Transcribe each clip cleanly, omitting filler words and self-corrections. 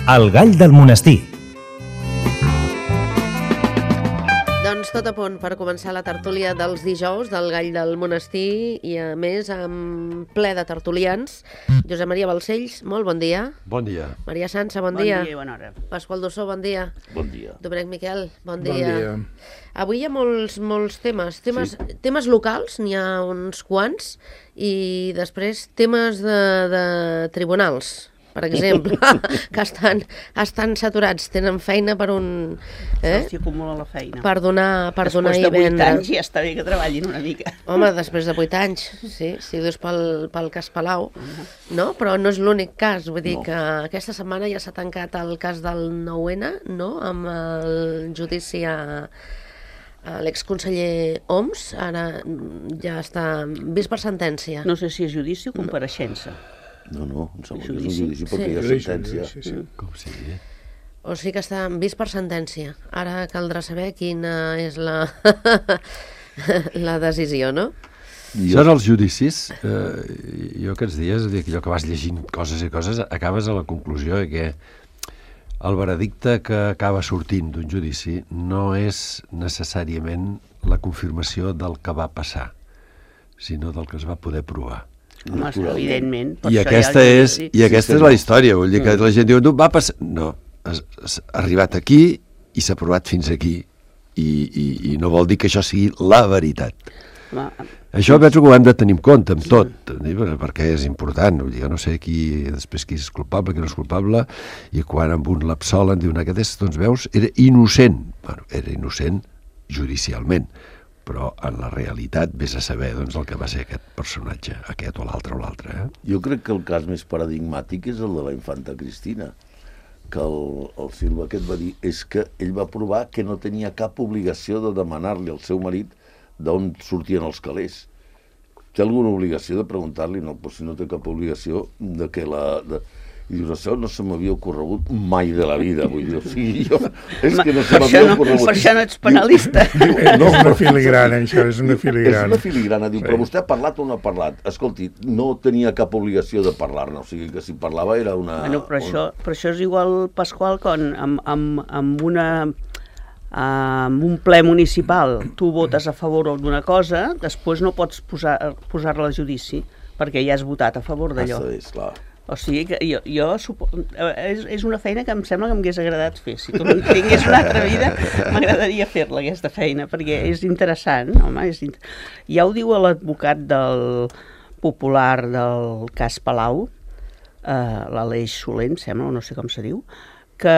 El gall del monestir. Doncs tot a punt per començar la tertúlia dels dijous del Gall del Monestir i a més amb ple de tertulians. Josep Maria Balcells, molt bon dia. Bon dia. Maria Sança, bon dia. Bon dia i bona hora. Pasqual Dossó, bon dia. Bon dia. Domènec Miquel, bon dia. Bon dia. Avui hi ha molts temes. Temes locals, n'hi ha uns quants, i després temes de tribunals, per exemple, que estan saturats, tenen feina per un... S'hi acumula la feina. Per donar Després i de 8 vendre. anys ja està bé que treballin una mica. Home, després de 8 anys, sí, si ho dius pel cas Palau, no? Però no és l'únic cas, vull dir que aquesta setmana ja s'ha tancat el cas del 9-N, no?, amb el judici a l'exconseller Homs, ara ja està vist per sentència. No sé si és judici o compareixença. No, em sembla que és un Judici? judici perquè hi ha Sí. sentència. Sí. Com sigui. O sigui que està vist per sentència. Ara caldrà saber quina és la decisió, no? Són els judicis. Jo aquests dies, allò que vas llegint coses i coses, acabes a la conclusió que el veredicte que acaba sortint d'un judici no és necessàriament la confirmació del que va passar, sinó del que es va poder provar. Home, evidentment. I aquesta és la història, vull dir que la gent diu, no, va passar... No, ha arribat aquí i s'ha provat fins aquí i no vol dir que això sigui la veritat. Home, Això penso que ho hem de tenir en compte amb tot, perquè és important. Vull dir, jo no sé després qui és culpable, qui no és culpable, i quan amb un l'absolen diuen aquest, doncs veus, era innocent. Bueno, era innocent judicialment, però en la realitat vés a saber doncs, el que va ser aquest personatge, aquest o l'altre. Jo crec que el cas més paradigmàtic és el de la infanta Cristina, que el Silva aquest va dir és que ell va provar que no tenia cap obligació de demanar-li al seu marit d'on sortien els calés. Té alguna obligació de preguntar-li? No, però si no té cap obligació de que I dius, això no se m'havia ocorregut mai de la vida, vull dir, o sigui, jo... És que no se m'havia ocorregut. Per això no ets penalista. No és una filigrana, això, és una filigrana. És una filigrana, diu, però vostè ha parlat o no ha parlat? Escolti, no tenia cap obligació de parlar-ne, o sigui que si parlava era una... Bueno, però això és igual, Pasqual, quan amb un ple municipal tu votes a favor d'una cosa, després no pots posar-la a judici, perquè ja has votat a favor d'allò. És clar. O sigui que és una feina que em sembla que m'hagués agradat fer. Si tu no tingués una altra vida, m'agradaria fer-la, aquesta feina, perquè és interessant. Home, ja ho diu l'advocat del popular del cas Palau, l'Aleix Soler, em sembla, no sé com se diu, que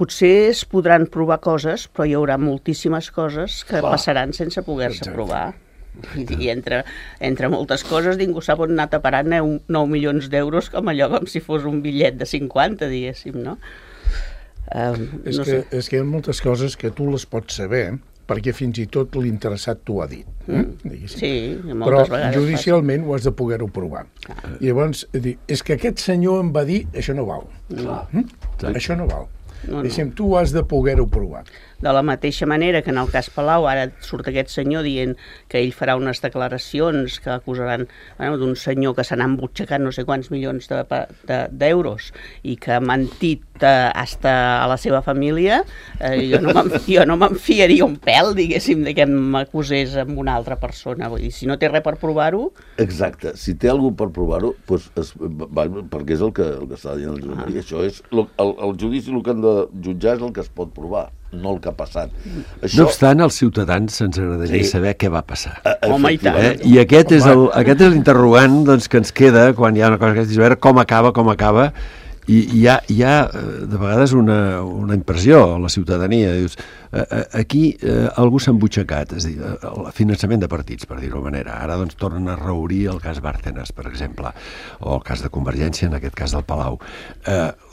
potser es podran provar coses, però hi haurà moltíssimes coses que passaran sense poder-se provar. I entre moltes coses ningú sap on anar a parar 9 milions d'euros com si fos un bitllet de 50, diguéssim, no? És que hi ha moltes coses que tu les pots saber perquè fins i tot l'interessat t'ho ha dit. Sí, Però moltes vegades judicialment ho has de poder-ho provar. I llavors, és que aquest senyor em va dir això no val. Això no val. Tu ho has de poder-ho provar. De la mateixa manera que en el cas Palau ara surt aquest senyor dient que ell farà unes declaracions que acusaran d'un senyor que se n'ha embutxacat no sé quants milions d'euros i que ha mentit hasta a la seva família, jo no me'n fiaria un pèl, diguéssim, de que m'acusés amb una altra persona. Vull dir, si no té res per provar-ho... Exacte, si té algú per provar-ho, perquè és el que està dient el Josep Maria, això és el judici, el que han de jutjar és el que es pot provar, no el que ha passat. No obstant, als ciutadans se'ns agradaria saber què va passar. Home, i tant. I aquest és l'interrogant doncs, que ens queda quan hi ha una cosa que és veure com acaba, i hi ha de vegades una impressió a la ciutadania, dius, aquí algú s'ha embutxacat, és a dir, el finançament de partits, per dir-ho manera. Ara doncs tornen a reobrir el cas Bárcenas, per exemple, o el cas de Convergència, en aquest cas del Palau.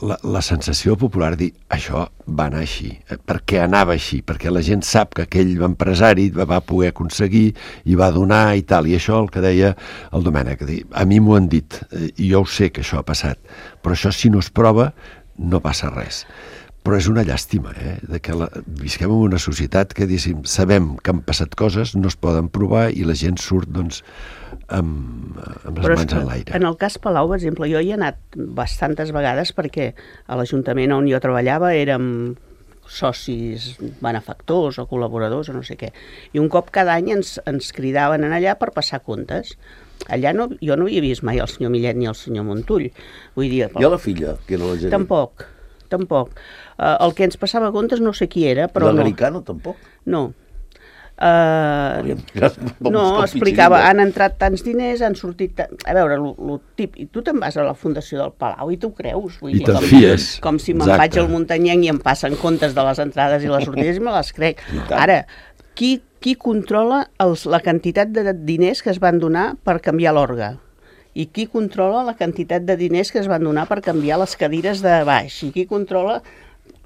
La sensació popular dir, això va anar així, perquè anava així, perquè la gent sap que aquell empresari va poder aconseguir i va donar i tal, i això el que deia el Domènec, a mi m'ho han dit, i jo ho sé que això ha passat, però això si no es prova no passa res. Però és una llàstima, de que visquem en una societat que, sabem que han passat coses, no es poden provar i la gent surt, doncs, amb les Però és mans que en l'aire. en el cas Palau, per exemple, jo hi he anat bastantes vegades perquè a l'Ajuntament on jo treballava érem socis benefactors o col·laboradors o no sé què. I un cop cada any ens cridaven en allà per passar comptes. Allà jo no havia vist mai el senyor Millet ni el senyor Montull. Vull dir, I a la filla, que era la gerent? Tampoc. El que ens passava comptes no sé qui era, però L'Americano tampoc? no. No, explicava, han entrat tants diners, han sortit... A veure, lo tip, i tu te'n vas a la Fundació del Palau i tu creus. Vull I dir, te'n fies. com si me'n vaig al Muntanyenc i em passen comptes de les entrades i les sortides i me les crec. Ara, qui controla la quantitat de diners que es van donar per canviar l'orgue? I qui controla la quantitat de diners que es van donar per canviar les cadires de baix? I qui controla...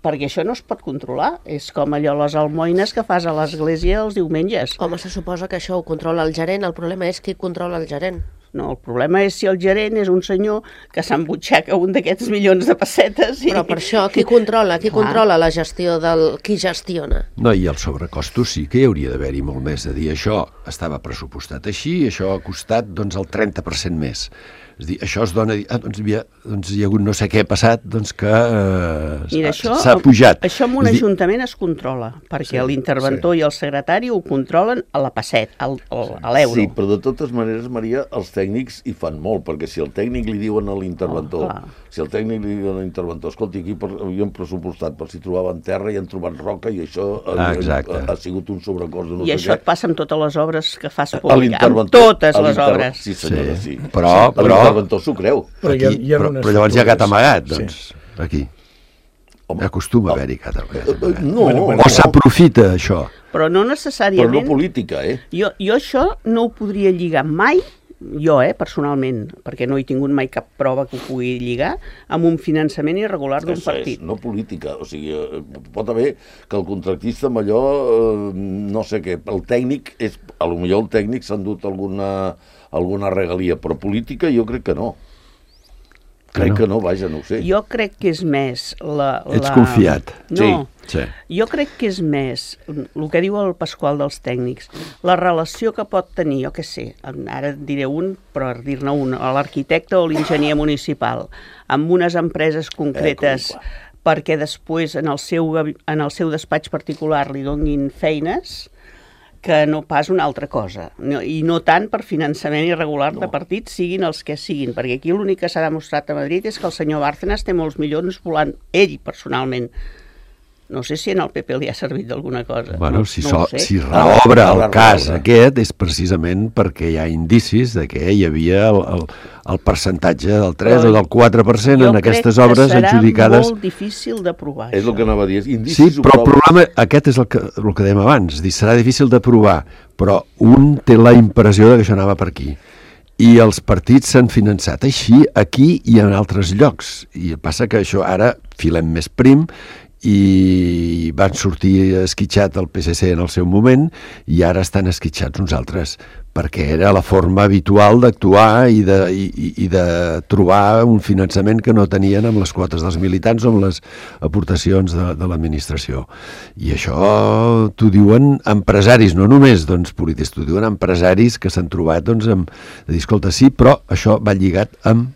Perquè això no es pot controlar. És com allò, les almoines que fas a l'església els diumenges. Home, se suposa que això ho controla el gerent. El problema és qui controla el gerent. No, el problema és si el gerent és un senyor que s'embutxaca un d'aquests milions de pessetes. Però per això, qui controla? Qui controla la gestió del... Qui gestiona? No, i els sobrecostos sí que hi hauria d'haver-hi molt més. De dir, això estava pressupostat així, això ha costat doncs, el 30% més. És a dir, això es dona... doncs hi ha hagut no sé què passat, doncs que s'ha pujat. Això en un ajuntament es controla, perquè l'interventor i el secretari ho controlen a la pesset, a l'euro. Sí, però de totes maneres, Maria, els tècnics hi fan molt, perquè si el tècnic li diuen a l'interventor, escolti, aquí havíem pressupostat per si trobaven terra i han trobat roca i això ha sigut un sobrecost de no sé què. I això et passa amb totes les obres que fas públic, amb totes les obres. Sí, senyora, sí. Però l'interventor s'ho creu. Però llavors hi ha gat amagat, doncs, aquí. Acostuma a haver-hi gat amagat. O s'aprofita, això. Però no necessàriament... Però no política, Jo això no ho podria lligar mai, jo, personalment, perquè no he tingut mai cap prova que ho pugui lligar, amb un finançament irregular d'un partit. No política, o sigui, pot haver que el contractista amb allò, no sé què, el tècnic, potser el tècnic s'ha endut alguna regalia, però política jo crec que no. Crec que no, vaja, no ho sé. Jo crec que és més Ets confiat. No, sí. Jo crec que és més el que diu el Pasqual dels tècnics, la relació que pot tenir, jo què sé, ara diré però dir-ne un, l'arquitecte o l'enginyer municipal, amb unes empreses concretes perquè després en el seu despatx particular li donin feines, que no pas una altra cosa. I no tant per finançament irregular de partits, siguin els que siguin, perquè aquí l'únic que s'ha demostrat a Madrid és que el senyor Bárcenas té molts milions volant ell personalment. No sé si en el PP li ha servit d'alguna cosa. Bueno, si reobre el cas aquest és precisament perquè hi ha indicis de que hi havia el percentatge del 3 o del 4% en aquestes obres adjudicades. Jo crec que serà molt difícil de provar. És el que anava a dir. Sí, però el problema, aquest és el que dèiem abans, serà difícil de provar, però un té la impressió que això anava per aquí. I els partits s'han finançat així, aquí i en altres llocs. I passa que això ara filem més prim i van sortir esquitxat el PSC en el seu moment i ara estan esquitxats uns altres, perquè era la forma habitual d'actuar i de trobar un finançament que no tenien amb les quotes dels militants o amb les aportacions de l'administració. I això t'ho diuen empresaris, no només polítics, t'ho diuen empresaris que s'han trobat de dir, escolta, sí, però això va lligat amb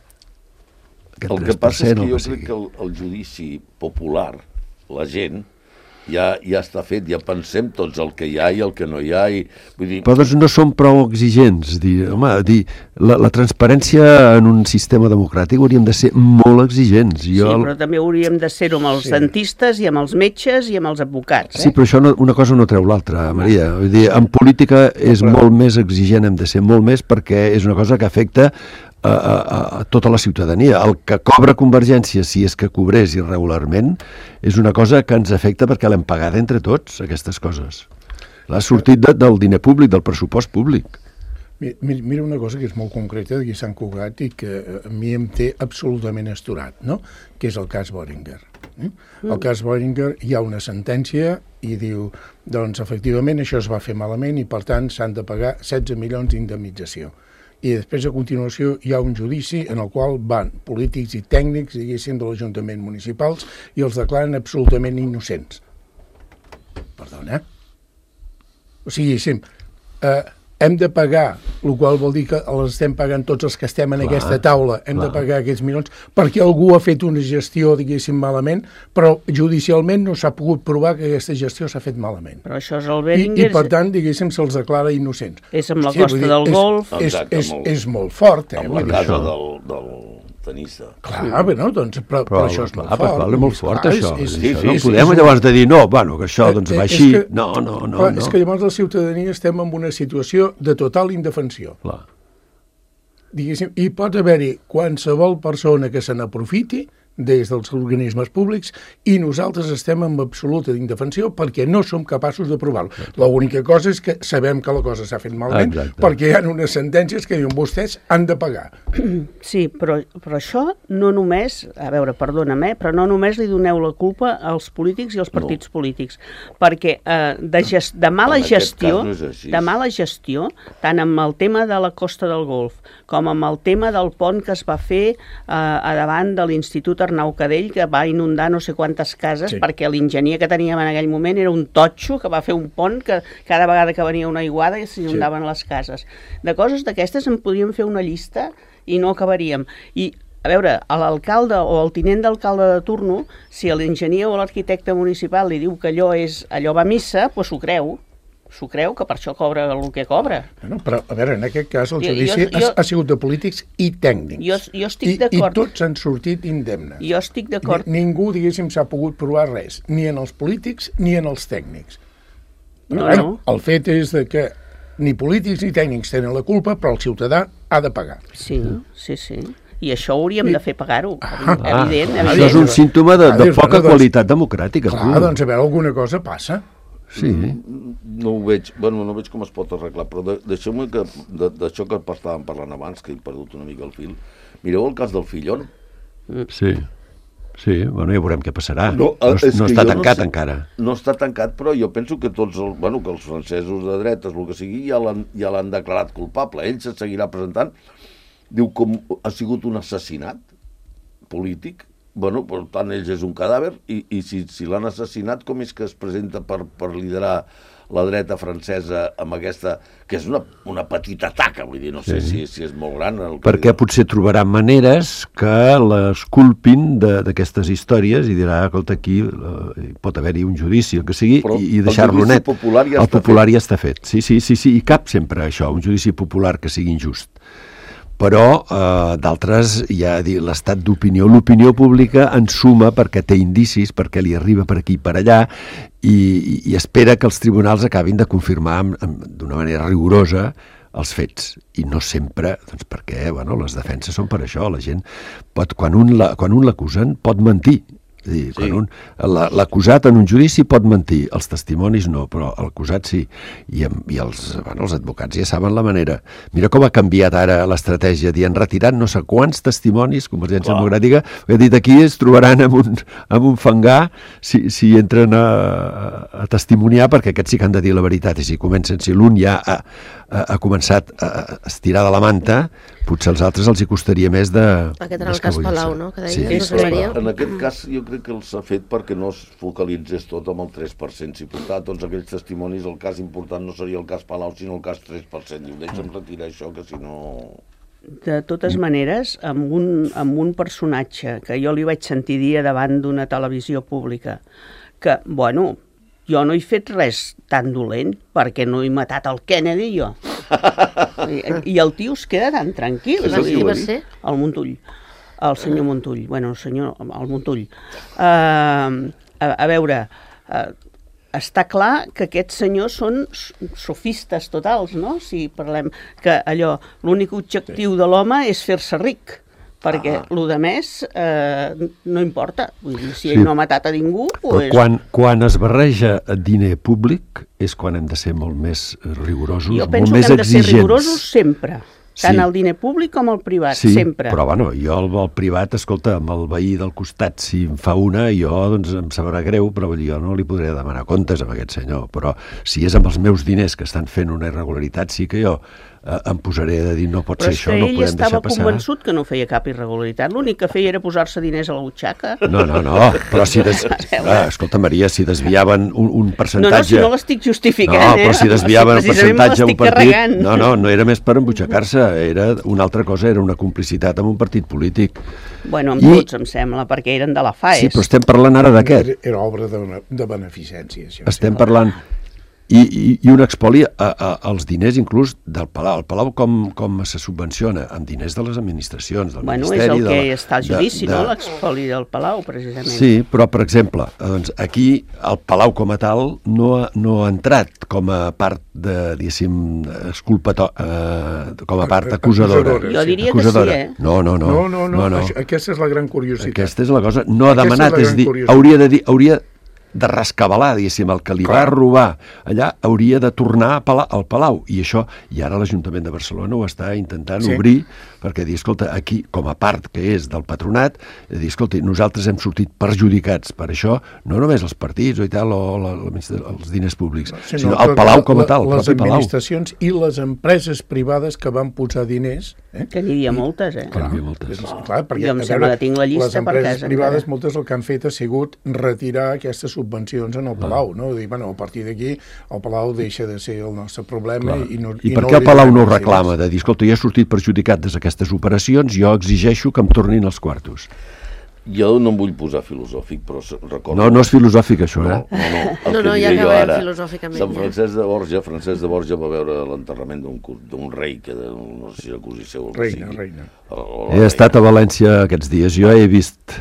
aquest 3%. El que passa és que jo crec que el judici popular, la gent, ja està fet, ja pensem tots el que hi ha i el que no hi ha. Però doncs no som prou exigents. La transparència en un sistema democràtic hauríem de ser molt exigents. Sí, però també hauríem de ser-ho amb els dentistes i amb els metges i amb els advocats. Sí, però això una cosa no treu l'altra, Maria. Vull dir, en política és molt més exigent, hem de ser molt més, perquè és una cosa que afecta a tota la ciutadania. El que cobra Convergència, si és que cobrés irregularment, és una cosa que ens afecta perquè l'hem pagat entre tots, aquestes coses. L'ha sortit del diner públic, del pressupost públic. Mira una cosa que és molt concreta d'aquí Sant Cugat i que a mi em té absolutament astorat, no? Que és el cas Boehringer. El cas Boehringer, hi ha una sentència i diu, doncs efectivament això es va fer malament i per tant s'han de pagar 16 milions d'indemnització. I després, a continuació, hi ha un judici en el qual van polítics i tècnics, diguéssim, de l'Ajuntament municipals i els declaren absolutament innocents. Perdona? O sigui, hem de pagar, el qual vol dir que els estem pagant tots els que estem en aquesta taula, hem de pagar aquests milions, perquè algú ha fet una gestió, diguéssim, malament, però judicialment no s'ha pogut provar que aquesta gestió s'ha fet malament. Però això és el Beringer... I per tant, diguéssim, se'ls declara innocents. És amb la costa del Golf... És molt fort, amb la casa del tenista. Clar, bé, no? Doncs, però això és molt fort. Però és molt fort, això. Sí, no podem llavors de dir, no, bueno, que això doncs va així. No. És que llavors la ciutadania estem en una situació de total indefensió. Clar. Diguéssim, i pot haver-hi qualsevol persona que se n'aprofiti des dels organismes públics i nosaltres estem en absoluta indefensió perquè no som capaços de provar-ho. L'única cosa és que sabem que la cosa s'ha fet malament perquè hi ha unes sentències que diuen vostès han de pagar. Sí, però això no només, a veure, perdona-me, però no només li doneu la culpa als polítics i als partits polítics, perquè de mala gestió, tant amb el tema de la Costa del Golf com amb el tema del pont que es va fer a davant de l'Institut Arnau Cadell, que va inundar no sé quantes cases, perquè l'enginyer que teníem en aquell moment era un totxo que va fer un pont que cada vegada que venia una aiguada s'inundaven les cases. De coses d'aquestes en podríem fer una llista i no acabaríem. I, a veure, a l'alcalde o al tinent d'alcalde de turno, si l'enginyer o l'arquitecte municipal li diu que allò va a missa, doncs s'ho creu, que per això cobra el que cobra. Bueno, però, a veure, en aquest cas el judici ha sigut de polítics i tècnics. Jo estic d'acord. I tots han sortit indemnes. Jo estic d'acord. Ningú, diguéssim, s'ha pogut provar res, ni en els polítics ni en els tècnics. Però, no. El fet és que ni polítics ni tècnics tenen la culpa, però el ciutadà ha de pagar. Sí. I això hauríem de fer pagar-ho, evident. Això és un símptoma de poca qualitat democràtica. Clar, doncs a veure, alguna cosa passa. Sí. No ho veig, no veig com es pot arreglar, però deixeu-me que d'això que estàvem parlant abans, que he perdut una mica el fil, mireu el cas del Fillon. Sí, bueno, ja veurem què passarà. No està tancat encara. No està tancat, però jo penso que que els francesos de dretes, el que sigui, ja l'han declarat culpable. Ell se seguirà presentant, diu com ha sigut un assassinat polític. Bueno, per tant, ells és un cadàver i si l'han assassinat, com és que es presenta per liderar la dreta francesa amb aquesta, que és una petita taca, vull dir, no sé si és molt gran. Perquè potser trobaran maneres que l'esculpin d'aquestes històries i dirà, escolta, aquí pot haver-hi un judici, el que sigui, i deixar-lo net. El popular ja està fet. Sí, i cap sempre això, un judici popular que sigui injust. Però d'altres ja l'estat d'opinió, l'opinió pública en suma perquè té indicis, perquè li arriba per aquí i per allà i espera que els tribunals acabin de confirmar d'una manera rigorosa els fets, i no sempre, doncs perquè les defenses són per això, la gent pot, quan un l'acusen pot mentir. És a dir, l'acusat en un judici pot mentir, els testimonis no, però l'acusat sí, i els advocats ja saben la manera. Mira com ha canviat ara l'estratègia, han retirat no sé quants testimonis, Convergència Democràtica, he dit aquí es trobaran amb un fangar si entren a testimoniar, perquè aquests sí que han de dir la veritat, i si l'un ja ha començat a estirar de la manta, potser als altres els hi costaria més de... Aquest era el cas Palau, no? Que deia, en aquest cas jo crec que els ha fet perquè no es focalitzés tot amb el 3%. Si portava tots aquells testimonis, el cas important no seria el cas Palau, sinó el cas 3%. Diu, deixa'm retirar això, que si no... De totes maneres, amb un personatge que jo li vaig sentir dir davant d'una televisió pública, que, jo no he fet res tan dolent perquè no he matat el Kennedy, jo. I el tio es queda tan tranquil. El Montull. El senyor Montull. El Montull. A veure, està clar que aquests senyors són sofistes totals, no? Si parlem que l'únic objectiu de l'home és fer-se ric, perquè el de més no importa. Vull dir, si ell no ha matat a ningú... Quan es barreja diner públic és quan hem de ser molt més rigorosos, molt més exigents. Jo penso que hem de ser rigorosos sempre, tant el diner públic com el privat, sempre. Però jo el privat, escolta, amb el veí del costat, si em fa una, jo em sabrà greu, però jo no li podré demanar comptes a aquest senyor. Però si és amb els meus diners que estan fent una irregularitat, sí que jo em posaré a dir no pot Però ser és això, que no ell podem estava deixar passar. convençut que no feia cap irregularitat. L'únic que feia era posar-se diners a la butxaca. No, però si escolta, Maria, si desviaven un percentatge... No, si no l'estic justificant, No, però si desviaven el percentatge a un partit... Carregant. No era més per embutxacar-se, era una altra cosa, era una complicitat amb un partit polític. Bueno, amb tots, em sembla, perquè eren de la FAES. Sí, però estem parlant ara d'aquest. Era obra de beneficència, això. Estem parlant... I un expoli als diners inclús del Palau. El Palau com se subvenciona? Amb diners de les administracions, del Ministeri... És el que està al judici, no? L'expoli del Palau, precisament. Sí, però, per exemple, doncs, aquí el Palau com a tal no ha entrat com a part de, diguéssim, com a part acusadora. Jo diria que sí, eh? No. Aquesta és la gran curiositat. Aquesta és la cosa. No ha demanat, és dir, hauria de rescabalar, diguéssim, el que li va robar allà hauria de tornar al Palau, i això, i ara l'Ajuntament de Barcelona ho està intentant obrir, perquè dir, escolta, aquí, com a part que és del patronat, dir, escolta, nosaltres hem sortit perjudicats per això, no només els partits o els diners públics, sinó el Palau com a tal, el propi Palau. Les administracions i les empreses privades que van posar diners... Que n'hi havia moltes, eh? Clar, perquè, jo em sembla que tinc la llista per casa. Les empreses privades, moltes el que han fet ha sigut retirar aquestes subvencions en el Palau, no? Dir, bueno, a partir d'aquí el Palau deixa de ser el nostre problema i per què el Palau no ho reclama? De dir, escolta, jo he sortit perjudicat d'aquestes operacions, jo exigeixo que em tornin els quartos. Jo no em vull posar filosòfic, però recordo... No és filosòfic, això, eh? No, ja acabem filosòficament. Sant Francesc de Borja va veure l'enterrament d'un rei, que no sé si acusi seu... Reina. He estat a València aquests dies, jo he vist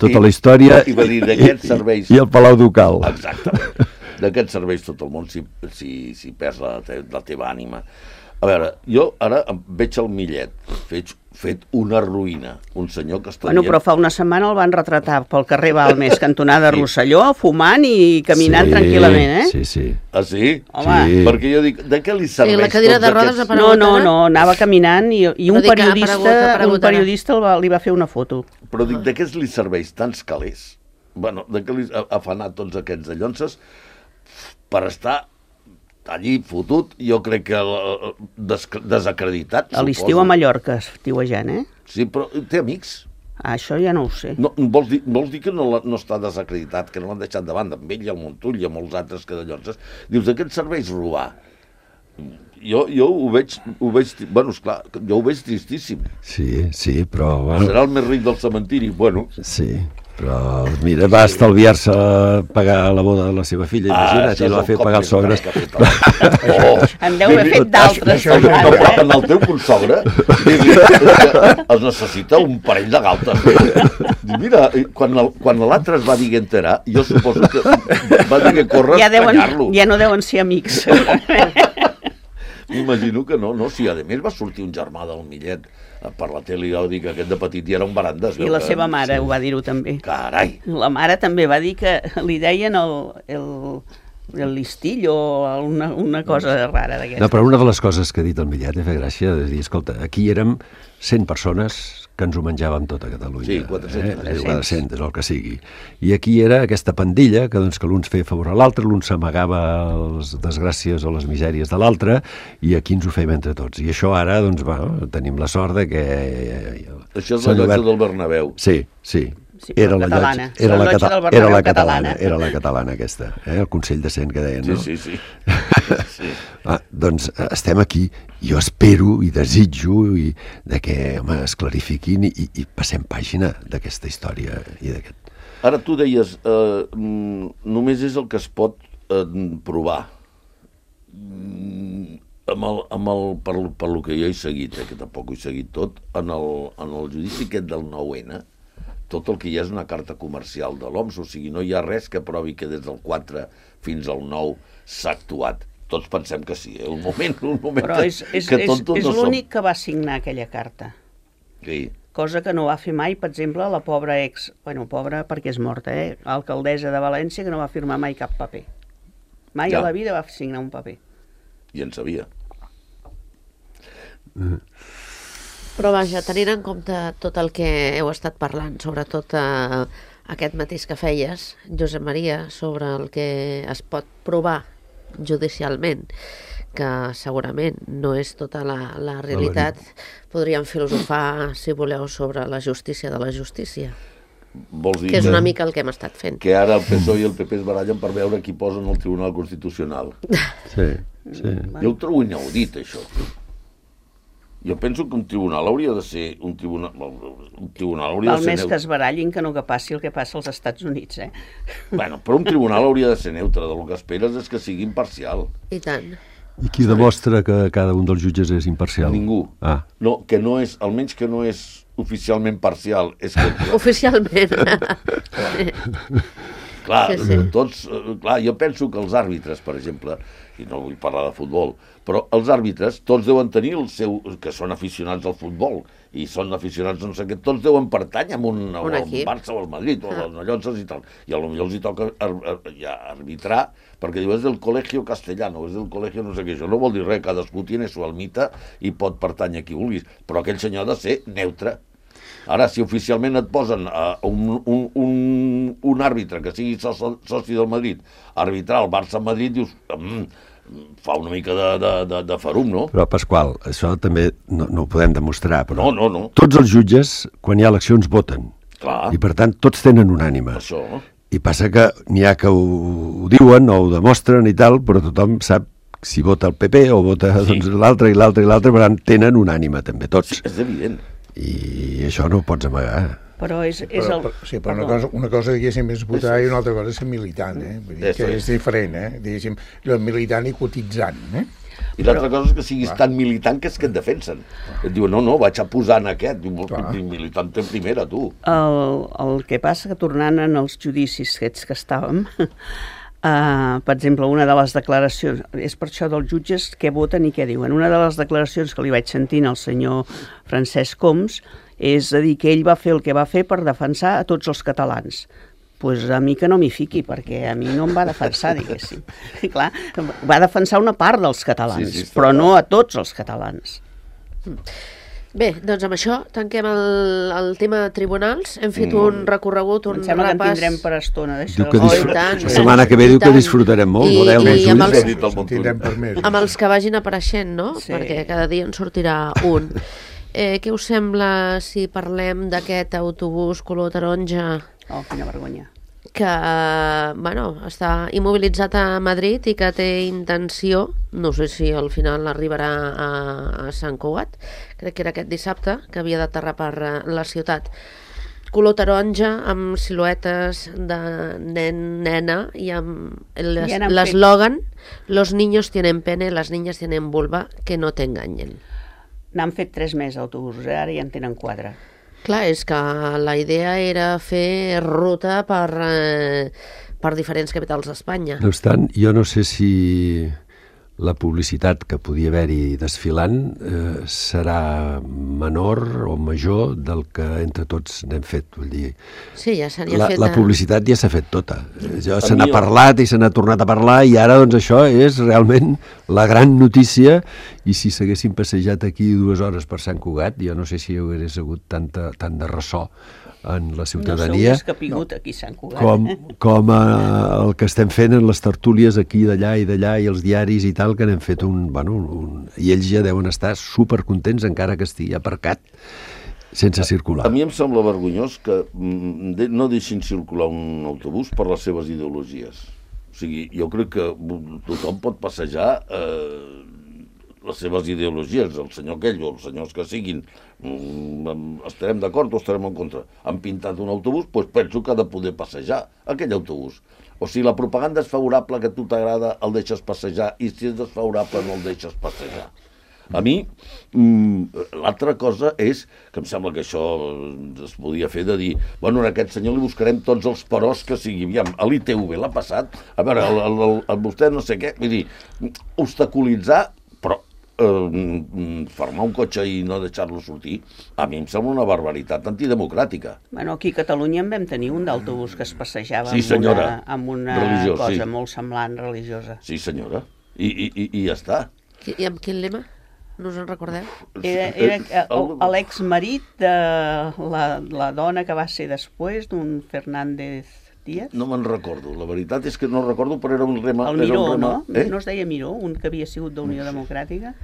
tota la història i va dir d'aquests serveis... I el Palau Ducal. Exactament. D'aquests serveis tot el món si perds la teva ànima. A veure, jo ara veig el Millet fet una ruïna, un senyor que està Bueno, però fa una setmana el van retratar pel carrer Balmes, cantonada Rosselló, fumant i caminant tranquil·lament, eh? Sí. Ah, sí? Home. Sí. Perquè jo dic, de què li serveix la cadira de rodes aquests... No, anava caminant i un periodista li va fer una foto. Però dic, de què li serveix tants calés? Bueno, de què li afanar tots aquests dallonses per estar allí fotut, jo crec que desacreditat, A l'estiu a Mallorca, estiuejant, eh? Sí, però té amics. Això ja no ho sé. No, vols dir que no està desacreditat, que no l'han deixat de banda, amb ell i el Montull i amb molts altres que dallonses. Dius, de què et serveix robar? Jo ho veig... Bueno, esclar, jo ho veig tristíssim. Sí, però... Bueno, serà el més ric del cementiri, bueno... Sí, però mira, va estalviar-se pagar la boda de la seva filla, imagina't, i la va fer pagar els sogres. En deu haver fet d'altres. En el teu consogre es necessita un parell de galtes. Mira, quan l'altre es va dir enterar, jo suposo que va dir que corre a espanyar-lo. Ja no deuen ser amics. M'imagino que no, si a més va sortir un germà del Millet per la tele i va dir que aquest de petit ja era un barandes. I la seva mare ho va dir-ho també. Carai! La mare també va dir que li deien el listill o una cosa rara d'aquesta. No, però una de les coses que ha dit el Millet ha fet gràcia és dir, escolta, aquí érem 100 persones que ens ho menjàvem tot a Catalunya. Sí, 400. 400, és el que sigui. I aquí era aquesta pandilla que l'un feia favor a l'altre, l'un s'amagava les desgràcies o les misèries de l'altre, i aquí ens ho fèiem entre tots. I això ara, doncs, tenim la sort de que... Això és la llotja del Bernabéu. Sí. Era la catalana aquesta, el Consell de Cent que deien, no? Sí. Doncs estem aquí, jo espero i desitjo que es clarifiquin i passem pàgina d'aquesta història i d'aquest... Ara tu deies, només és el que es pot provar. Per lo que jo he seguit, que tampoc ho he seguit tot, en el judici aquest del 9N, tot el que hi ha és una carta comercial de l'OMS, o sigui, no hi ha res que provi que des del 4 fins al 9 s'ha actuat. Tots pensem que sí, un moment però és l'únic que va signar aquella carta. Sí. Cosa que no va fer mai, per exemple, la pobra pobra perquè és morta, alcaldessa de València, que no va firmar mai cap paper. Mai a la vida va signar un paper. I en sabia. Però vaja, tenint en compte tot el que heu estat parlant, sobretot aquest mateix que feies, Josep Maria, sobre el que es pot provar judicialment, que segurament no és tota la realitat. Podríem filosofar, si voleu, sobre la justícia de la justícia, Vols dir que és una mica el que hem estat fent. que ara el PSOE i el PP es barallen per veure qui posen al Tribunal Constitucional. Sí, sí. Jo ho trobo inaudit, això. Jo penso que un tribunal hauria de ser un tribunal hauria Val de ser més que neutre. es barallin que no que passi el que passa als Estats Units, eh? Bueno, però un tribunal hauria de ser neutre. Del que esperes és que sigui imparcial. I tant. I qui demostra que cada un dels jutges és imparcial? Ningú. Ah, No, que no és, almenys que no és oficialment parcial. És que, Oficialment. clar, Sí, sí. tots, clar, jo penso que els àrbitres, per exemple, i no vull parlar de futbol, però els àrbitres, tots deuen tenir el seu, que són aficionats al futbol, i són aficionats no sé què, tots deuen pertànyer a un equip. Barça o al Madrid, o als Llonses i tal, i potser els hi toca ja arbitrar, perquè diu, és del col·legio castellano, és del col·legio no sé què, això no vol dir res, cadascú tiene su almita i pot pertànyer a qui vulguis, però aquell senyor ha de ser neutre. Ara, si oficialment et posen un àrbitre que sigui soci del Madrid a arbitrar el Barça-Madrid, dius, fa una mica de farum, no? però Pasqual, això també no ho podem demostrar, però No. tots els jutges, quan hi ha eleccions, voten. Clar, I per tant, tots tenen una ànima. això. I passa que n'hi ha que ho diuen o ho demostren i tal, però tothom sap si vota el PP o vota doncs, l'altre i l'altre i l'altre, per tant, tenen una ànima també, tots. És evident. I això no ho pots amagar. Però és Sí, però una cosa, diguéssim, és votar i una altra cosa és ser militant, Vull dir que és diferent, Diguéssim, jo militant i cotitzant, I l'altra cosa és que siguis tan militant que és que et defensen. Et diuen, no, vaig a posar en aquest. Diu, militant en primera, tu. el que passa que tornant en els judicis aquests que estàvem, per exemple, una de les declaracions, és per això dels jutges què voten i què diuen. Una de les declaracions que li vaig sentir al senyor Francesc Homs és a dir que ell va fer el que va fer per defensar a tots els catalans. Pues a mi que no m'hi fiqui, perquè a mi no em va defensar, diguéssim. Clar, va defensar una part dels catalans, Sí, però no a tots els catalans. Bé, doncs amb això tanquem el tema tribunals. Hem fet un recorregut, un Em sembla que en repàs. tindrem per estona d'això. Diu que Oh, i tant, la setmana que ve diu que i tant. disfrutarem molt, I- veureu, i amb els- Juli. Tindrem per més. Amb els que vagin apareixent, no? Sí. Perquè cada dia en sortirà un. Què us sembla si parlem d'aquest autobús color taronja Oh, quina vergonya. que està immobilitzat a Madrid i que té intenció, no sé si al final arribarà a Sant Cugat, crec que era aquest dissabte, que havia d'aterrar per la ciutat. Color taronja, amb siluetes de nen, nena, i amb Ja n'han l'eslògan «Los niños tienen pene, las niñas tienen vulva, que no t'enganyen». N'han fet 3 més autobusos, ara ja en tenen 4. Clar, és que la idea era fer ruta per diferents capitals d'Espanya. No obstant, jo no sé si la publicitat que podia haver-hi desfilant serà menor o major del que entre tots n'hem fet. Vull dir, Sí, ja s'havia fet... la publicitat ja s'ha fet tota. Se A n'ha mi parlat i se n'ha tornat a parlar i ara doncs això és realment la gran notícia, i si s'haguessin passejat aquí 2 hores per Sant Cugat, jo no sé si hi hagués hagut tant de ressò en la No ciutadania sou escapigut aquí a Sant Cugat. com el que estem fent en les tertúlies aquí d'allà i d'allà i els diaris i tal, que n'hem fet i ells ja deuen estar supercontents encara que estigui aparcat sense circular. A mi em sembla vergonyós que no deixin circular un autobús per les seves ideologies. O sigui, jo crec que tothom pot passejar les seves ideologies, el senyor aquell o els senyors que siguin, estarem d'acord o estarem en contra. Han pintat un autobús, doncs penso que ha de poder passejar aquell autobús. O si la propaganda és favorable, que a tu t'agrada, el deixes passejar, i si és desfavorable, no el deixes passejar. A mi, l'altra cosa és, que em sembla que això es podia fer de dir, bueno, a aquest senyor li buscarem tots els peròs que sigui. Aviam, a l'ITV l'ha passat, a veure, vostè no sé què, vull dir, obstaculitzar, però formar un cotxe i no deixar-lo sortir, a mi em sembla una barbaritat antidemocràtica. Bueno, aquí a Catalunya en vam tenir un d'autobús que es passejava Sí, senyora. amb una Religiós, cosa sí. molt semblant religiosa. Sí, senyora. I ja està. I amb quin lema? No us en recordeu? Era l'exmarit de la dona que va ser després d'un Fernández Díaz? No me'n recordo, la veritat és que no recordo, però era un rema... El Miró, era un rema, no? No es deia Miró, un que havia sigut d'Unió Democràtica?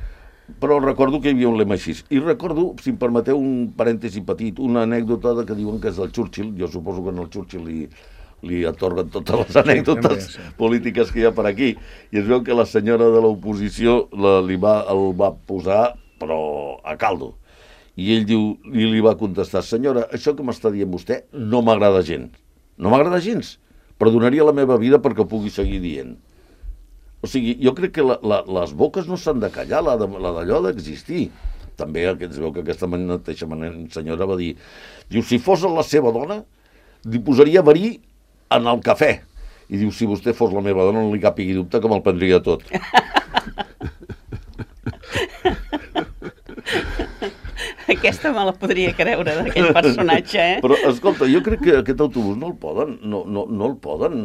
Però recordo que hi havia un lema així. I recordo, si em permeteu un parèntesi petit, una anècdota que diuen que és del Churchill. Jo suposo que al Churchill li atorguen totes les anècdotes polítiques que hi ha per aquí. I es veu que la senyora de l'oposició el va posar, però a caldo. I ell li va contestar: senyora, això que m'està dient vostè no m'agrada gens. No m'agrada gens, però donaria la meva vida perquè ho pugui seguir dient. O sigui, jo crec que les boques no s'han de callar, la d'allò d'existir. També es veu que aquesta mateixa senyora va dir, diu, si fos la seva dona, li posaria verí en el cafè. I diu, si vostè fos la meva dona, no li capigui dubte que me'l prendria tot. Aquesta me la podria creure, d'aquell personatge, eh? Però, escolta, jo crec que aquest autobús no el poden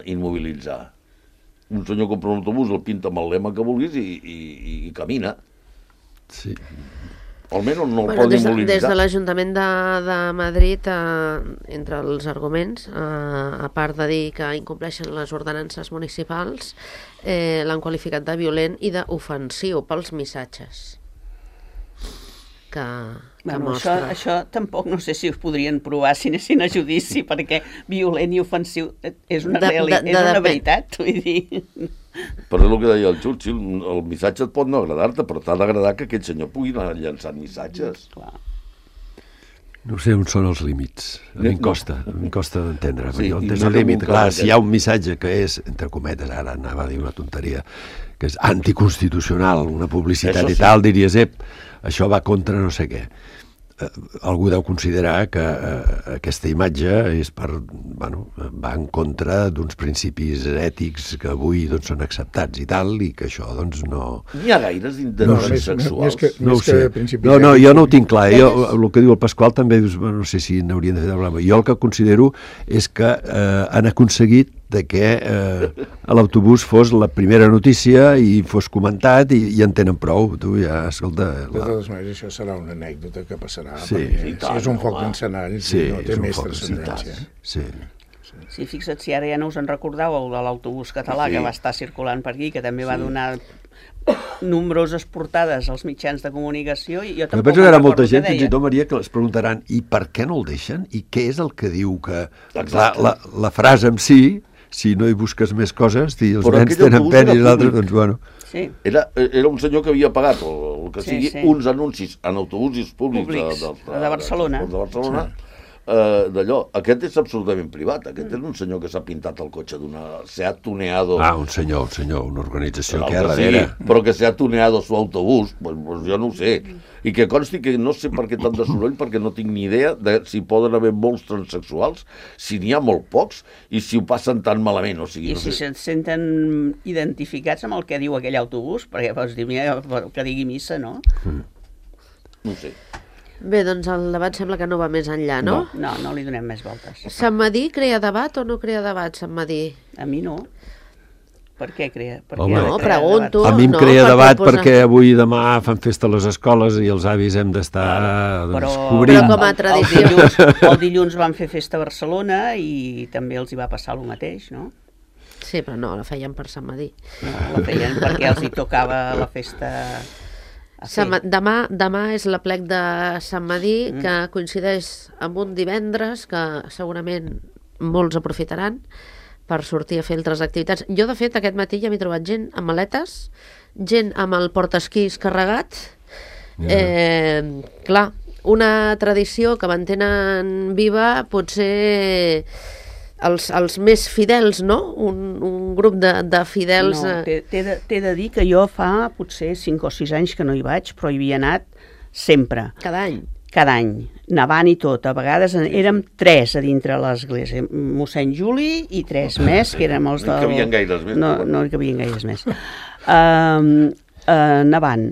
immobilitzar. Un senyor compra un autobús, el pinta amb el lema que vulguis i camina. Sí. Almenys no el poden immobilitzar. Des de l'Ajuntament de Madrid, entre els arguments, a part de dir que incompleixen les ordenances municipals, l'han qualificat de violent i d'ofensiu pels missatges que mostra. Això tampoc no sé si us podrien provar si anessin a judici, perquè violent i ofensiu és una veritat, vull dir. Però és el que deia el Churchill, el missatge et pot no agradar-te, però t'ha d'agradar que aquest senyor pugui anar llançant missatges. Clar. No sé on són els límits. A mi em costa d'entendre. Sí, On és el límit? Clar, si hi ha un missatge que és, entre cometes, ara anava a dir una tonteria, que és anticonstitucional, una publicitat i tal, diries, això va contra no sé què. Algú deu considerar que aquesta imatge és va en contra d'uns principis ètics que avui són acceptats i tal, i que això no... N'hi ha gaires d'interessos sexuals. No ho sé. No, jo no ho tinc clar. El que diu el Pasqual també dius, no sé si n'haurien de fer de problema. Jo el que considero és que han aconseguit de que a l'autobús fos la primera notícia i fos comentat i en tenen prou. Tu ja, escolta... De totes maneres, això serà una anècdota que passarà, sí, perquè és un foc d'encenall, no té més transcendència. Sí, fixa't si ara ja no us en recordàveu de l'autobús català que va estar circulant per aquí, que també va donar nombroses portades als mitjans de comunicació, i jo tampoc penso que hi ha molta gent, fins i tot, Maria, que es preguntaran i per què no el deixen? I què és el que diu que... La frase en si no hi busques més coses, els nens tenen pena i l'altre, doncs bueno... Sí. Era un senyor que havia pagat el que sigui uns anuncis en autobusos públics de Barcelona. D'allò, aquest és absolutament privat, aquest és un senyor que s'ha pintat el cotxe d'una Seat Tuneado. Un senyor, una organització que hi ha darrere. Però que s'ha tuneado su autobús, pues jo no ho sé. I que consti que no sé per què tant de soroll, perquè no tinc ni idea de si poden haver molts transexuals, si n'hi ha molt pocs, i si ho passen tan malament. O sigui, I si se'n senten identificats amb el que diu aquell autobús, perquè pots dir, mira, que digui missa, no? No ho sé. Bé, doncs el debat sembla que no va més enllà, no? No li donem més voltes. Sant Madí crea debat o no crea debat, Sant Madí? A mi no. Per què crea? No, pregunto. A mi em crea debat perquè avui i demà fan festa a les escoles i els avis hem d'estar cobrint. Però com a tradició. El dilluns van fer festa a Barcelona i també els hi va passar el mateix, no? Sí, però no, la feien per Sant Madí. No, la feien perquè els hi tocava la festa... Demà és l'aplec de Sant Madí, que coincideix amb un divendres que segurament molts aprofitaran per sortir a fer altres activitats. Jo, de fet, aquest matí ja m'he trobat gent amb maletes, gent amb el portaesquís carregat. Clar, una tradició que mantenen viva potser els més fidels, no? Un grup de fidels... No, t'he de dir que jo fa potser 5 o 6 anys que no hi vaig, però hi havia anat sempre. Cada any? Cada any, nevant i tot. A vegades érem 3 a dintre l'església. Mossèn Juli i 3 més, que érem els del... No hi cabien gaires més. No hi cabien gaires més. Nevant.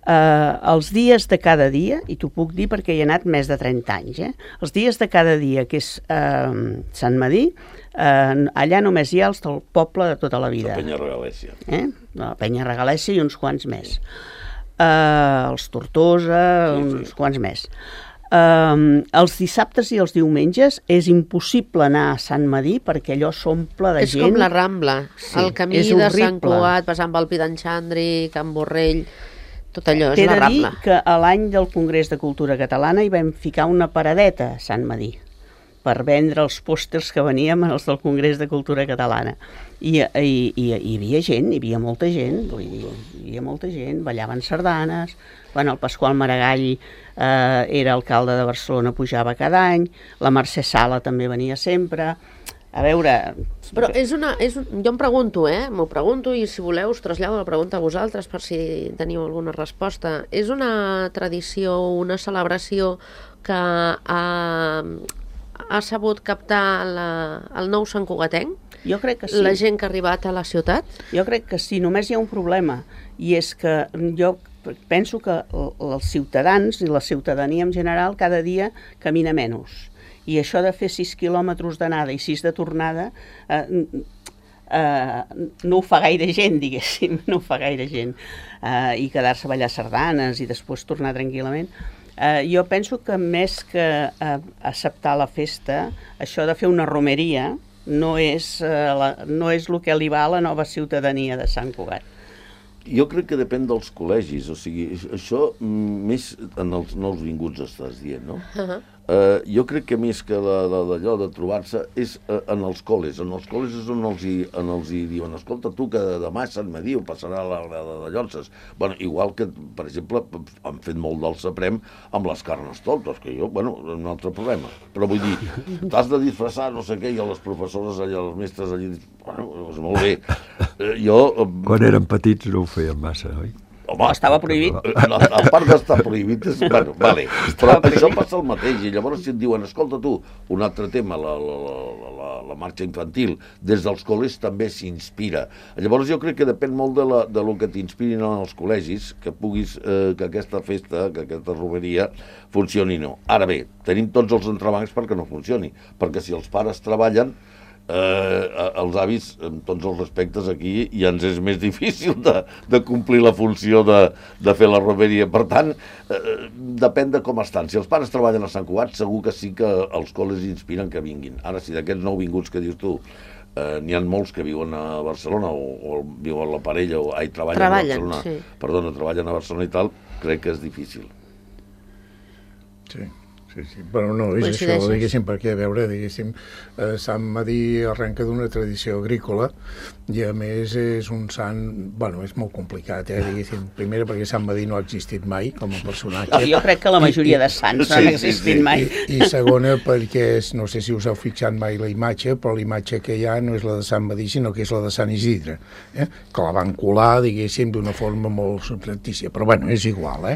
Els dies de cada dia, i t'ho puc dir perquè hi he anat més de 30 anys, els dies de cada dia, que és Sant Madí, allà només hi ha els del poble de tota la vida. La Penya Regalèssia. La Penya Regalèssia i uns quants més. Els Tortosa, uns quants més. els dissabtes i els diumenges és impossible anar a Sant Madí perquè allò s'omple de És gent. com la Rambla, Sí, el camí és de horrible. Sant Cugat, passant pel Pi d'en Xandri, Can Borrell, tot allò és T'he la de dir Rambla. que a l'any del Congrés de Cultura Catalana hi vam ficar una paradeta a Sant Madí per vendre els pòsters que veníem els del Congrés de Cultura Catalana. I hi havia gent, hi havia molta gent, vull dir, hi havia molta gent, ballaven sardanes, el Pasqual Maragall era alcalde de Barcelona, pujava cada any, la Mercè Sala també venia sempre. A veure... Però jo em pregunto, m'ho pregunto, i si voleu us trasllado la pregunta a vosaltres per si teniu alguna resposta. És una tradició, una celebració que ha sabut captar el nou Sant Cugatenc? Jo crec que sí. La gent que ha arribat a la ciutat? Jo crec que sí, només hi ha un problema, i és que jo penso que els ciutadans i la ciutadania en general cada dia camina menys. I això de fer 6 quilòmetres d'anada i 6 de tornada no ho fa gaire gent, diguéssim, no ho fa gaire gent. I quedar-se a ballar sardanes i després tornar tranquil·lament. Jo penso que més que acceptar la festa, això de fer una romeria no és el que li va a la nova ciutadania de Sant Cugat. Jo crec que depèn dels col·legis, o sigui, això més en els nous vinguts estàs dient, no? Jo crec que més que d'allò de trobar-se és en els col·les. En els col·les és on els hi diuen, escolta, tu que demà a Sant Madí ho passarà a la grada de Llonses. Bueno, igual que, per exemple, han fet molt del Saprem amb les Carnestoltes, que jo, un altre problema. Però vull dir, t'has de disfressar, no sé què, i a les professores allà, els mestres allà, doncs molt bé. Quan érem petits no ho feien massa, oi? Home, estava prohibit. A part d'estar prohibit, vale. Però això passa el mateix, i llavors si et diuen, escolta tu, un altre tema, la marxa infantil, des dels col·legis també s'inspira. Llavors jo crec que depèn molt de lo que t'inspirin als col·legis, que puguis, que aquesta festa, que aquesta romeria funcioni o no. Ara bé, tenim tots els entrebancs perquè no funcioni, perquè si els pares treballen, els avis, amb tots els respectes aquí, ja ens és més difícil de complir la funció de fer la romeria. Per tant, depèn de com estan. Si els pares treballen a Sant Cugat, segur que sí que els col·les inspiren que vinguin. Ara, si d'aquests nouvinguts que dius tu, n'hi ha molts que viuen a Barcelona o viuen la parella, treballen a Barcelona, sí. Treballen a Barcelona i tal, crec que és difícil. Sí. Sí, però no, és això, diguéssim, perquè, a veure, diguéssim, Sant Madí arrenca d'una tradició agrícola i, a més, és un sant, és molt complicat, diguéssim, primera perquè Sant Madí no ha existit mai com a personatge. Jo crec que la majoria de sants no han existit mai. I segona perquè, no sé si us heu fixat mai la imatge, però la imatge que hi ha no és la de Sant Madí, sinó que és la de Sant Isidre, que la van colar, diguéssim, d'una forma molt substantícia, però, és igual,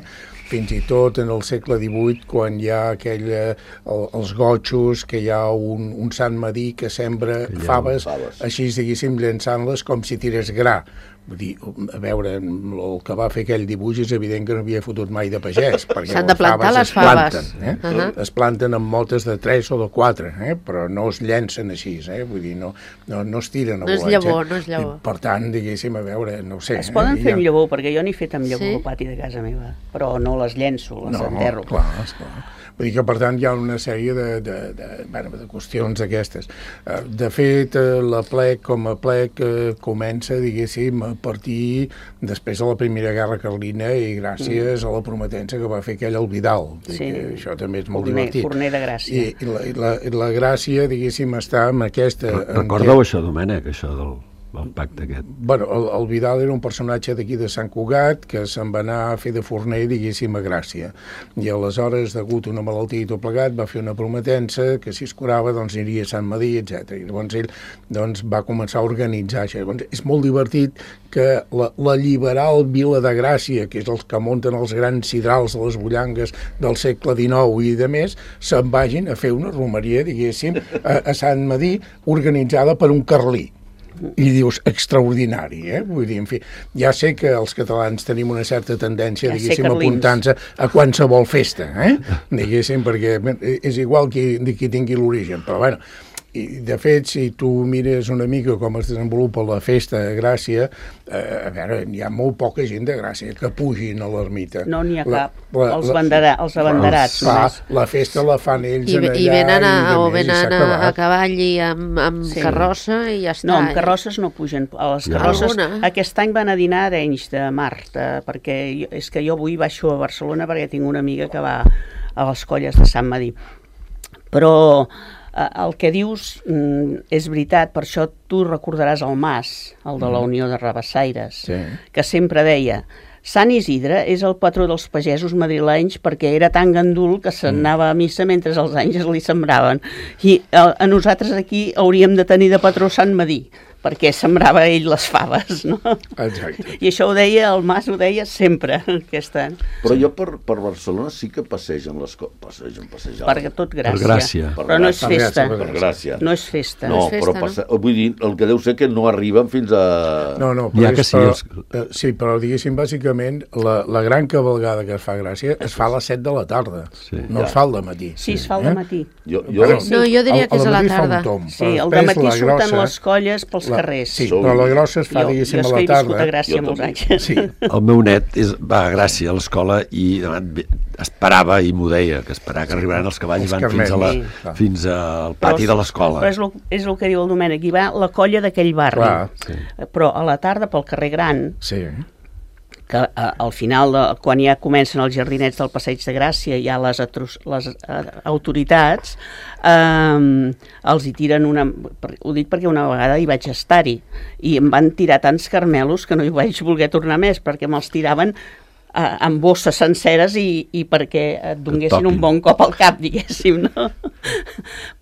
Fins i tot en el segle XVIII, quan hi ha els gotxos, que hi ha un Sant Madí que sembra faves, així, diguéssim, llançant-les com si tirés gra. Vull dir, a veure, el que va fer aquell dibuix és evident que no havia fotut mai de pagès, perquè s'han de plantar les faves. Es planten amb motes de 3 o de 4, però no es llencen així, vull dir, no es tiren a volatge. No és llavor. Per tant, diguéssim, a veure, no ho sé. Es poden fer amb llavor, perquè jo n'he fet amb llavor al pati de casa meva, però no les llenço, les enterro. Clar. Vull dir que, per tant, hi ha una sèrie de qüestions aquestes. De fet, la plec com a plec comença, diguéssim, a partir després de la Primera Guerra Carlina i gràcies a la prometença que va fer aquell el Vidal. Sí. Això també és molt divertit. Forner de Gràcia. I la gràcia, diguéssim, està en aquesta... Recordeu això, Domènec, això del pacte aquest? El Vidal era un personatge d'aquí de Sant Cugat que se'n va anar a fer de forner, diguéssim, a Gràcia. I aleshores, degut a una malaltia i tot plegat, va fer una prometença que si es curava, aniria a Sant Madí, etc. I llavors ell va començar a organitzar això. Llavors, és molt divertit que la liberal Vila de Gràcia, que és els que munten els grans sidrals de les bullangues del segle XIX i de més, se'n vagin a fer una romeria, diguéssim, a Sant Madí, organitzada per un carlí. I dius, extraordinari, Vull dir, en fi, ja sé que els catalans tenim una certa tendència, diguéssim, a apuntar-nos a qualsevol festa, diguéssim, perquè és igual qui tingui l'origen, però I, de fet, si tu mires una mica com es desenvolupa la festa de Gràcia, a veure, hi ha molt poca gent de Gràcia que pugin a l'ermita. No n'hi ha cap. Els abanderats. La festa la fan ells I allà. venen a cavall i amb carrossa i ja està. No, amb carrosses no pugen. A les carrosses, aquest any van a dinar a Arenys de Mar, perquè és que jo avui baixo a Barcelona perquè tinc una amiga que va a les colles de Sant Medir. Però el que dius és veritat, per això tu recordaràs el Mas, el de la Unió de Rabassaires, que sempre deia: Sant Isidre és el patró dels pagesos madrilenys perquè era tan gandul que s'anava a missa mentre els àngels li sembraven. I a nosaltres aquí hauríem de tenir de patró Sant Medir, perquè sembrava ell les faves, no? Exacte. I això ho deia, el Mas ho deia sempre, aquest any. Però jo per Barcelona sí que passegen les coses. Passegen. Per tot Gràcia. Per Gràcia. Però no és festa. Per Gràcia. No és festa. No, però vull dir, el que deu ser que no arriben fins a... No, sí, però diguéssim, bàsicament, la gran cavalgada que es fa a Gràcia es fa a les 7 de la tarda, no es fa al dematí. Sí, es fa al dematí. No, jo diria que és a la tarda. Sí, al dematí surten les colles pels carrers. Sí, però la grossa es fa, diguéssim, a la tarda. Jo és que he viscut a Gràcia molts anys. Sí. El meu net va a Gràcia a l'escola i esperava, i m'ho deia, que esperava que arribaran els cavalls i van fins al pati de l'escola. Però és el que diu el Domènec, hi va la colla d'aquell barri. Però a la tarda, pel carrer Gran, que al final, quan ja comencen els jardinets del Passeig de Gràcia, ja les autoritats els hi tiren ho dic perquè una vegada hi vaig estar-hi, i em van tirar tants carmelos que no hi vaig voler tornar més, perquè me'ls tiraven amb bosses senceres i perquè et donessin un bon cop al cap, diguéssim, no?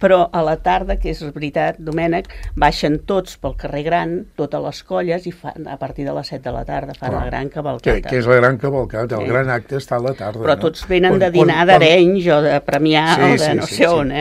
Però a la tarda, que és veritat, Domènec, baixen tots pel carrer Gran, totes les colles, i a partir de les 7 de la tarda fan la gran cavalcata. Que és la gran cavalcata, el gran acte està a la tarda. Però tots venen de dinar d'Arenys o de Premià o de no sé on,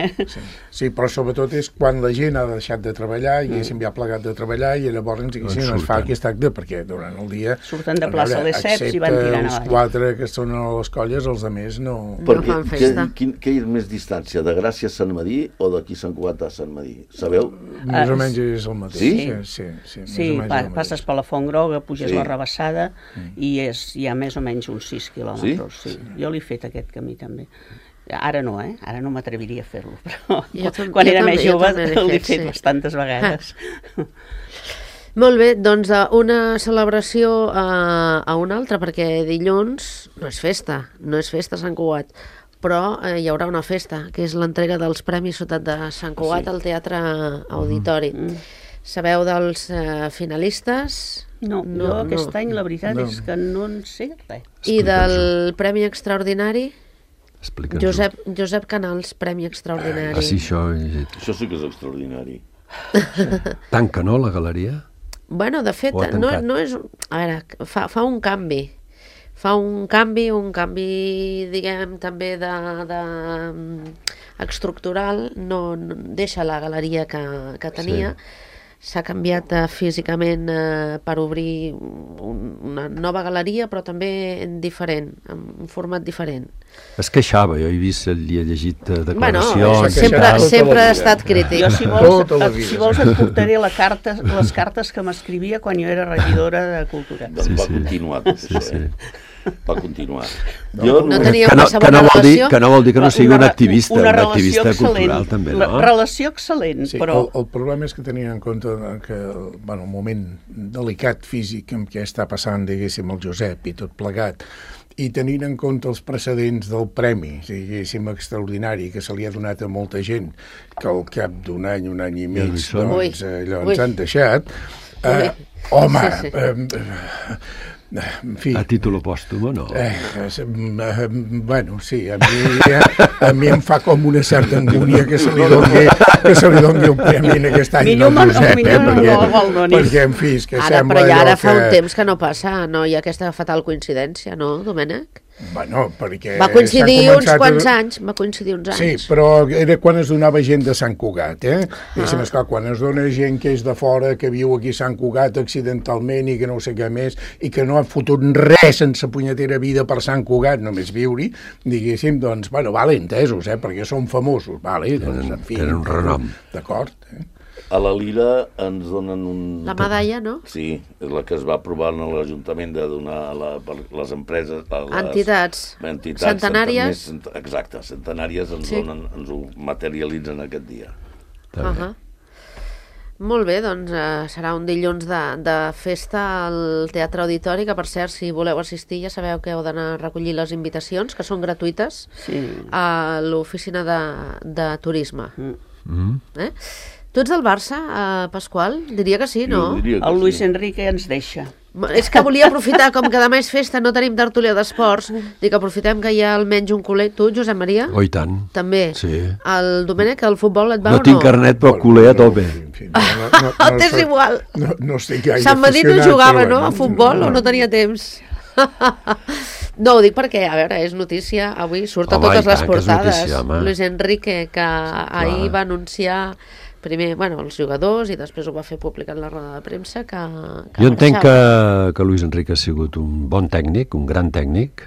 Sí, però sobretot és quan la gent ha deixat de treballar i ja ha plegat de treballar i llavors es fa aquest acte, perquè durant el dia... Surten de plaça Lesseps i van tirant avall. 4 que són a les colles, els altres no... Perquè què hi ha més distància, de Gràcia a Sant Medir o d'aquí Sant Cugat a Sant Medir? Sabeu? Més o menys és el mateix. Sí, passes per la Font Groga, puges la Rabassada i hi ha més o menys uns 6 quilòmetres. Jo l'he fet aquest camí també. Ara no, ara no m'atreviria a fer-lo, però quan era més jove l'he fet bastantes vegades. Molt bé, doncs una celebració a una altra, perquè dilluns no és festa a Sant Cugat, però hi haurà una festa, que és l'entrega dels Premis Ciutat de Sant Cugat al Teatre Auditori. Sabeu dels finalistes? No, jo aquest any la veritat és que no en sé res. I del Premi Extraordinari? Josep Canals, Premi Extraordinari. Sí, això sí que és extraordinari. Tanca, no, la galeria? Bueno, de fet, no és... A veure, fa un canvi. Fa un canvi, diguem, també estructural, no deixa la galeria que tenia. S'ha canviat físicament per obrir una nova galeria, però també diferent, amb un format diferent. Es queixava, jo he vist, li he llegit declaracions... Sempre ha estat crític. Jo, si vols, et portaré les cartes que m'escrivia quan jo era regidora de Cultura. Doncs va continuar tot això, va continuar. No tenia una segona relació? Que no vol dir que no sigui un activista, una activista cultural també, no? Relació excel·lent, però... El problema és que tenint en compte que el moment delicat físic en què està passant, diguéssim, el Josep i tot plegat, i tenint en compte els precedents del premi, diguéssim, extraordinari, que se li ha donat a molta gent, que al cap d'un any, un any i mig, doncs ens han deixat, home... A títol pòstum o no? Bueno, sí, a mi em fa com una certa angúnia que se li doni un premi en aquest any al Josep, perquè, en fi, és que sembla... Però ja ara fa un temps que no passa, no hi ha aquesta fatal coincidència, no, Domènec? Bueno, perquè... Va coincidir s'han uns començat quants anys, va coincidir uns anys. Sí, però era quan es donava gent de Sant Cugat, Diguéssim, esclar, quan es dona gent que és de fora, que viu aquí a Sant Cugat accidentalment i que no sé què més, i que no ha fotut res sense punyetera vida per Sant Cugat, només viure-hi, diguéssim, doncs, bueno, vale, entesos, perquè són famosos, vale, doncs, en fi... Tenen un renom. D'acord, A la Lira ens donen un... La medalla, no? Sí, és la que es va aprovar en l'Ajuntament de donar per les empreses... Entitats centenàries. Exacte, centenàries ens ho materialitzen aquest dia. Molt bé, doncs serà un dilluns de festa al Teatre Auditori, que per cert, si voleu assistir ja sabeu que heu d'anar a recollir les invitacions, que són gratuïtes, a l'oficina de turisme. Tu ets del Barça, Pasqual? Diria que sí, no? El Luis Enrique ens deixa. És que volia aprofitar, com que demà és festa, no tenim tertúlia d'esports, dic, aprofitem que hi ha almenys un culer. Tu, Josep Maria? Oh, i tant. També? Sí. El Domènec, el futbol et va o no? No tinc carnet, però culer a tope. T'és igual. No estic gaire Sant Madí no jugava, no?, a futbol, o no tenia temps? No, ho dic perquè, a veure, és notícia, avui surt a totes les portades. Luis Enrique, que ahir va anunciar primer, bueno, els jugadors, i després ho va fer públic en la roda de premsa, que jo entenc que Luis Enrique ha sigut un bon tècnic, un gran tècnic,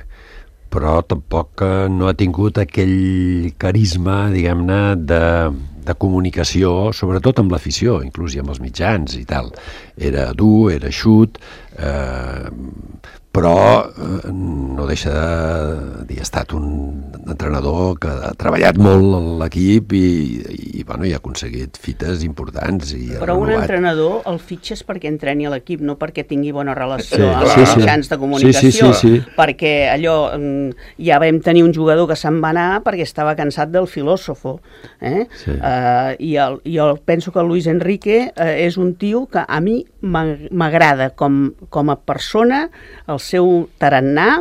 però tampoc no ha tingut aquell carisma, diguem-ne, de comunicació, sobretot amb l'afició, inclús i amb els mitjans i tal. Era dur, era eixut, però no deixa de dir, ha estat un entrenador que ha treballat molt en l'equip i ha aconseguit fites importants. Però un entrenador el fitxes perquè entreni a l'equip, no perquè tingui bona relació amb els mitjans de comunicació. Perquè allò, ja vam tenir un jugador que se'n va anar perquè estava cansat del filòsofo. I jo penso que el Luis Enrique és un tio que a mi m'agrada com a persona, el seu tarannà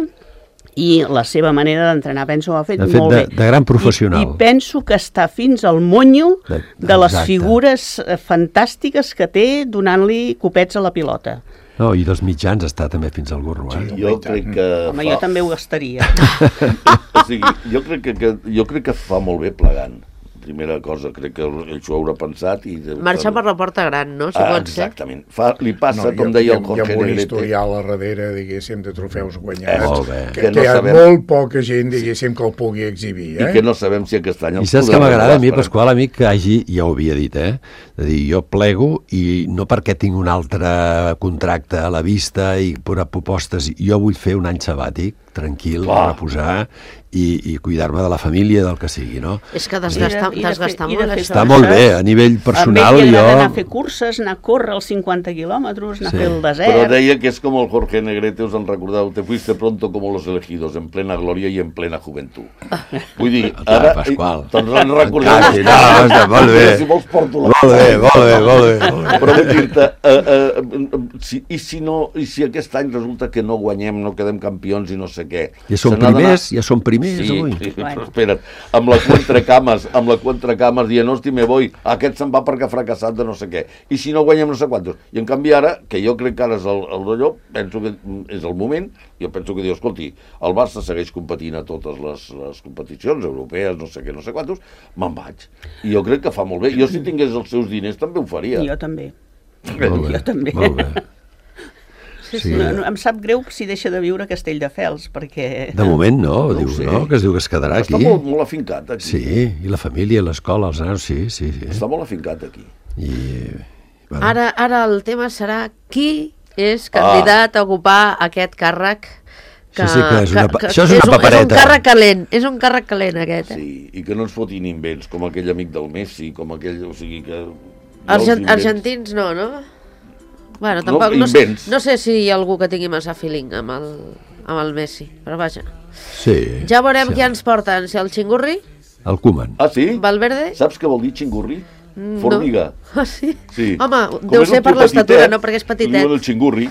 i la seva manera d'entrenar. Penso que ho ha fet molt bé. De gran professional. I penso que està fins al monyo de les figures fantàstiques que té donant-li copets a la pilota. No, i dels mitjans està també fins al gorro. Jo crec que... Home, jo també ho gastaria. O sigui, jo crec que fa molt bé plegant. Primera cosa, crec que ell s'ho haurà pensat i... Marxa per la porta gran, no? Si pot ser. Exactament. Li passa, com deia el Jorge Negrete... Hi ha un historial a darrere, diguéssim, de trofeus guanyats, que hi ha molt poca gent, diguéssim, que el pugui exhibir. I que no sabem si aquest any... I saps que m'agrada a mi, Pasqual, amic, que hagi, ja ho havia dit, de dir, jo plego i no perquè tinc un altre contracte a la vista i propostes, jo vull fer un any sabàtic, tranquil, reposar i cuidar-me de la família, del que sigui, no? És que desgastar molt. Està molt bé, a nivell personal. A mi m'agrada anar a fer curses, anar a córrer els 50 quilòmetres, anar a fer el desert... Però deia que és com el Jorge Negrete, us en recordeu, te fuiste pronto como los elegidos, en plena gloria y en plena juventud. Vull dir, ara... Doncs en recordeu... Molt bé. Si vols porto la... Molt bé. Però vull dir-te, i si aquest any resulta que no guanyem, no quedem campions i no sé què... Ja són primers avui. Sí, però espera't, amb la Cuentracamas dient, hosti, me voy, aquest se'n va perquè ha fracassat de no sé què, i si no guanyem no sé quantos. I en canvi ara, que jo crec que ara és el d'allò, penso que és el moment, jo penso que diu, escolti, el Barça segueix competint a totes les competicions europees, no sé què, no sé quantos, me'n vaig. I jo crec que fa molt bé. Jo si tingués els seus diners també ho faria. Jo també. Jo també. Molt bé. Sí. No, em sap greu si deixa de viure a Castelldefels, perquè... De moment no, que es diu que es quedarà aquí. Està molt afincat aquí. Sí, i la família, l'escola, els nanos, sí. Està molt afincat aquí. Ara el tema serà qui és candidat a ocupar aquest càrrec. Això és una papereta. És un càrrec calent aquest. Sí, i que no ens fotin invents, com aquell amic del Messi, com aquell... O sigui que... Argentins no? Bueno, tampoc, no sé si hi ha algú que tingui massa feeling amb el Messi, però vaja. Sí. Ja veurem qui ens porten, si el Xingurri? El Koeman. Ah, sí? Valverde? Saps què vol dir Xingurri? Formiga. Ah, sí? Sí. Home, deu ser per l'estatura, no? Perquè és petitet. Li diuen el Xingurri.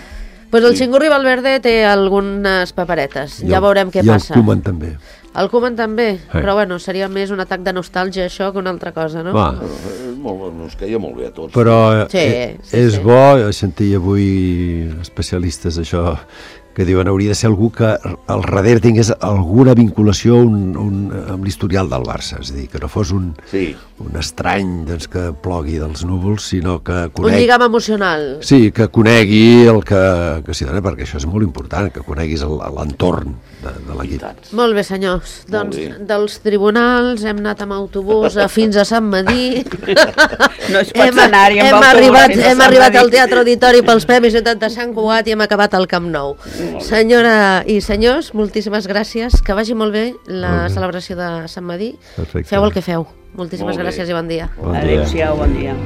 Pues el Xingurri Valverde té algunes paperetes, ja veurem què passa. I el Koeman també. El Koeman també, però bueno, seria més un atac de nostàlgia això que una altra cosa, no? Ens caia molt bé a tots. Però és bo sentir avui especialistes això que diuen hauria de ser algú que al darrere tingués alguna vinculació amb l'historial del Barça, és a dir, que no fos un estrany doncs, que plogui dels núvols, sinó que conegui... Un lligam emocional. Sí, que conegui el que s'hi dona, perquè això és molt important, que coneguis l'entorn de l'equip. Molt bé, senyors. Doncs dels tribunals hem anat amb autobús fins a Sant Madí. No es pot anar-hi amb autobús. Hem arribat al Teatre Auditori pels Premis Ciutat de Sant Cugat i hem acabat al Camp Nou. Senyora i senyors, moltíssimes gràcies. Que vagi molt bé la celebració de Sant Madí. Perfecte. Feu el que feu. Moltíssimes gràcies i bon dia. Adéu-siau, bon dia.